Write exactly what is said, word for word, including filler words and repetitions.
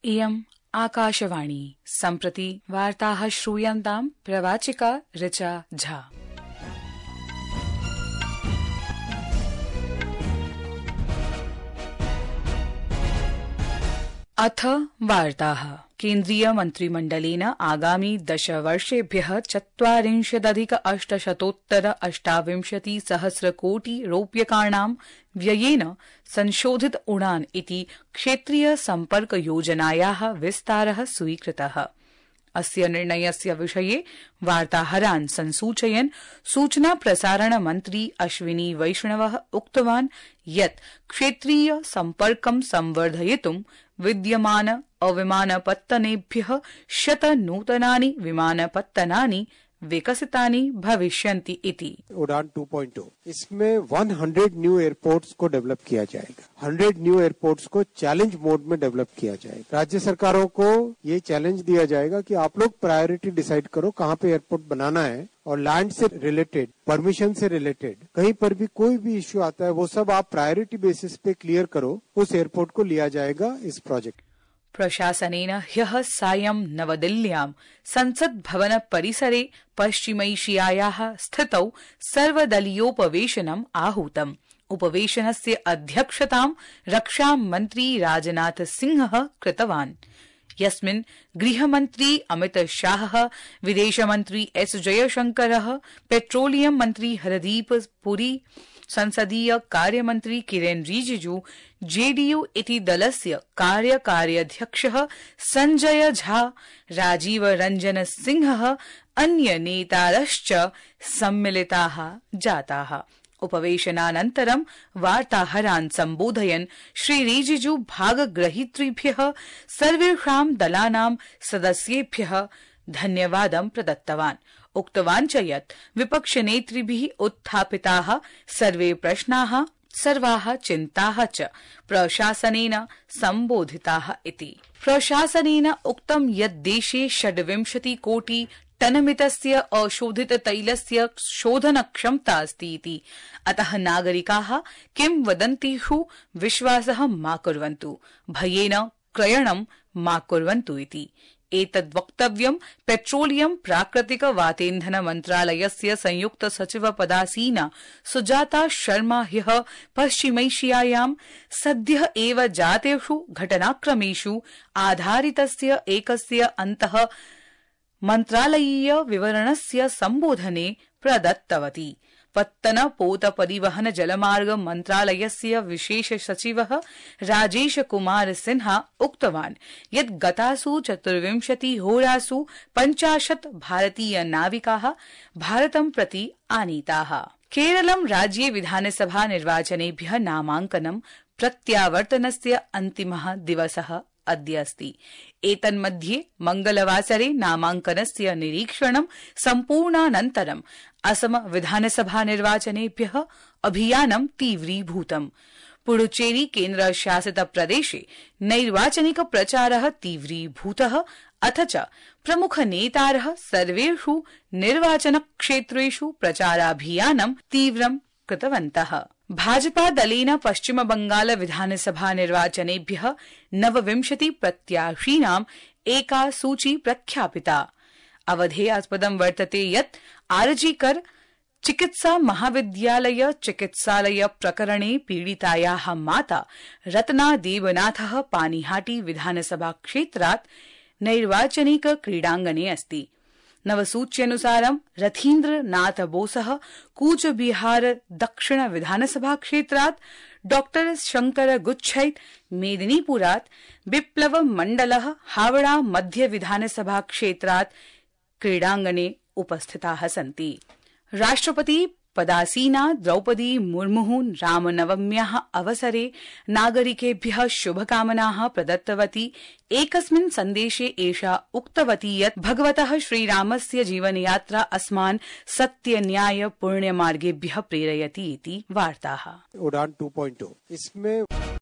इयम् आकाशवाणी सम्प्रति वार्ताः श्रूयन्ताम् प्रवाचिका ऋचा झा। अथ वार्ताः। केन्द्रीय मन्त्रिमण्डलेन आगामि दश वर्षेभ्यः चत्वारिंशदधिक अष्टशतोत्तर अष्टाविंशति सहस्र कोटि रूप्यकाणां व्ययेन संशोधित उड़ान इति क्षेत्रीय सम्पर्क योजनायाः विस्तारः स्वीकृतः। अस्य निर्णयस्य विषये वार्ताहरान् संसूचयन् सूचना प्रसारण मन्त्री अश्विनी वैष्णवः उक्तवान् यत् क्षेत्रीय सम्पर्कं संवर्धयितुं विद्यमान अविमानपत्तनेभ्यः शत नूतनानि विमानपत्तनानि विकसितानि भविष्यन्ति इति। उड़ान टू पॉइंट ओ इसमें सौ न्यू एयरपोर्ट्स को डेवलप किया जाएगा। सौ न्यू एयरपोर्ट्स को चैलेंज मोड में डेवलप किया जाएगा। राज्य सरकारों को ये चैलेंज दिया जाएगा कि आप लोग प्रायोरिटी डिसाइड करो कहाँ पे एयरपोर्ट बनाना है, और लैंड से रिलेटेड, परमिशन से रिलेटेड कहीं पर भी कोई भी इश्यू आता है वो सब आप प्रायोरिटी बेसिस पे क्लियर करो, उस एयरपोर्ट को लिया जाएगा इस प्रोजेक्ट। प्रशासनेन ह्यः सायं नवदिल्ल्यां संसद भवन परिसरे पश्चिमैशियायाः स्थितौ सर्वदलीयोपवेशनम् आहूतम्। उपवेशनस्य अध्यक्षतां रक्षामन्त्री राजनाथ सिंहः कृतवान्, यस्मिन् गृहमन्त्री अमित शाहः, विदेशमन्त्री एस जयशंकरः, पेट्रोलियम मन्त्री हरदीप पुरी, संसदीय कार्यमन्त्री किरेन रिजिजू, जेडीयू इति दलस्य कार्यकार्यध्यक्षः संजय झा, राजीव रंजन सिंहः, अन्य नेतारश्च सम्मिलिताः जाताः। उपवेशनानन्तरं वार्ताहरान् सम्बोधयन् श्री रिजिजू भागग्रहीतृभ्यः सर्वेषां दलानां सदस्येभ्यः धन्यवादं प्रदत्तवान्। उक्तवान् च यत् विपक्षनेतृभिः उत्थापिताः सर्वे प्रश्नाः, सर्वाः चिन्ताः च प्रशासनेन सम्बोधिताः इति। प्रशासनेन उक्तं यत् देशे षड्विंशति कोटि टनमितस्य अशोधित तैलस्य शोधनक्षमता अस्ति इति। अतः नागरिकाः किंवदन्तीषु विश्वासः मा कुर्वन्तु, भयेन क्रयणं मा कुर्वन्तु इति। एतद् वक्तव्यं पेट्रोलियम प्राकृतिक वातेन्धन मन्त्रालयस्य संयुक्त सचिव पदासीना सुजाता शर्मा ह्यः पश्चिमैशियायां सद्यः एव जातेषु घटनाक्रमेषु आधारितस्य एकस्य अन्तः मन्त्रालयीय विवरणस्य सम्बोधने प्रदत्तवती। पत्तन पोत परिवहन जलमार्ग मन्त्रालयस्य विशेष सचिवः राजेश कुमार सिन्हा उक्तवान् यत् गतासु चतुर्विंशति होरासु पञ्चाशत् भारतीय नाविकाः भारतं प्रति आनीताः। केरलं राज्ये विधानसभा निर्वाचनेभ्यः नामाङ्कनं प्रत्यावर्तनस्य अन्तिमः दिवसः अद्य अस्ति। एतन्मध्ये मंगलवासरे नामाङ्कनस्य निरीक्षणं सम्पूर्णानन्तरं असम विधानसभा निर्वाचनेभ्यः अभियानं तीव्रीभूतम्। पुडुचेरी केन्द्रशासित प्रदेशे नैर्वाचनिक प्रचारः तीव्रीभूतः, अथ च प्रमुख नेतारः सर्वेषु निर्वाचनक्षेत्रेषु प्रचाराभियानं तीव्रं कृतवन्तः। भाजपा दलेन पश्चिम बंगाल विधानसभा निर्वाचनेभ्यः नवविंशति प्रत्याशीनाम् एका सूची प्रख्यापिता। अवधेयास्पदं वर्तते यत् आरजीकर चिकित्सा महाविद्यालय चिकित्सालय प्रकरणे पीडितायाः माता रत्ना देवनाथः पानीहाटी विधानसभा क्षेत्रात् नैर्वाचनिक क्रीडाङ्गणे अस्ति। नवसूच्यनुसारं रथीन्द्र नाथ बोसः कूचबिहार दक्षिण विधानसभा क्षेत्रात्, डॉक्टर शंकर गुच्छैत मेदिनीपुरात्, बिप्लव मंडलः हावड़ा मध्य विधानसभा क्षेत्रात् क्रीडाङ्गणे उपस्थिताः सन्ति। राष्ट्रपति पदासीना द्रौपदी मुर्मुः रामनवम्याः अवसरे नागरिकेभ्यः शुभकामनाः प्रदत्तवती। एकस्मिन् सन्देशे एषा उक्तवती यत् भगवतः श्रीरामस्य जीवनयात्रा अस्मान् सत्य न्याय पुण्यमार्गेभ्यः प्रेरयति इति वार्ताः। उड़ान टू पॉइंट ओ इसमें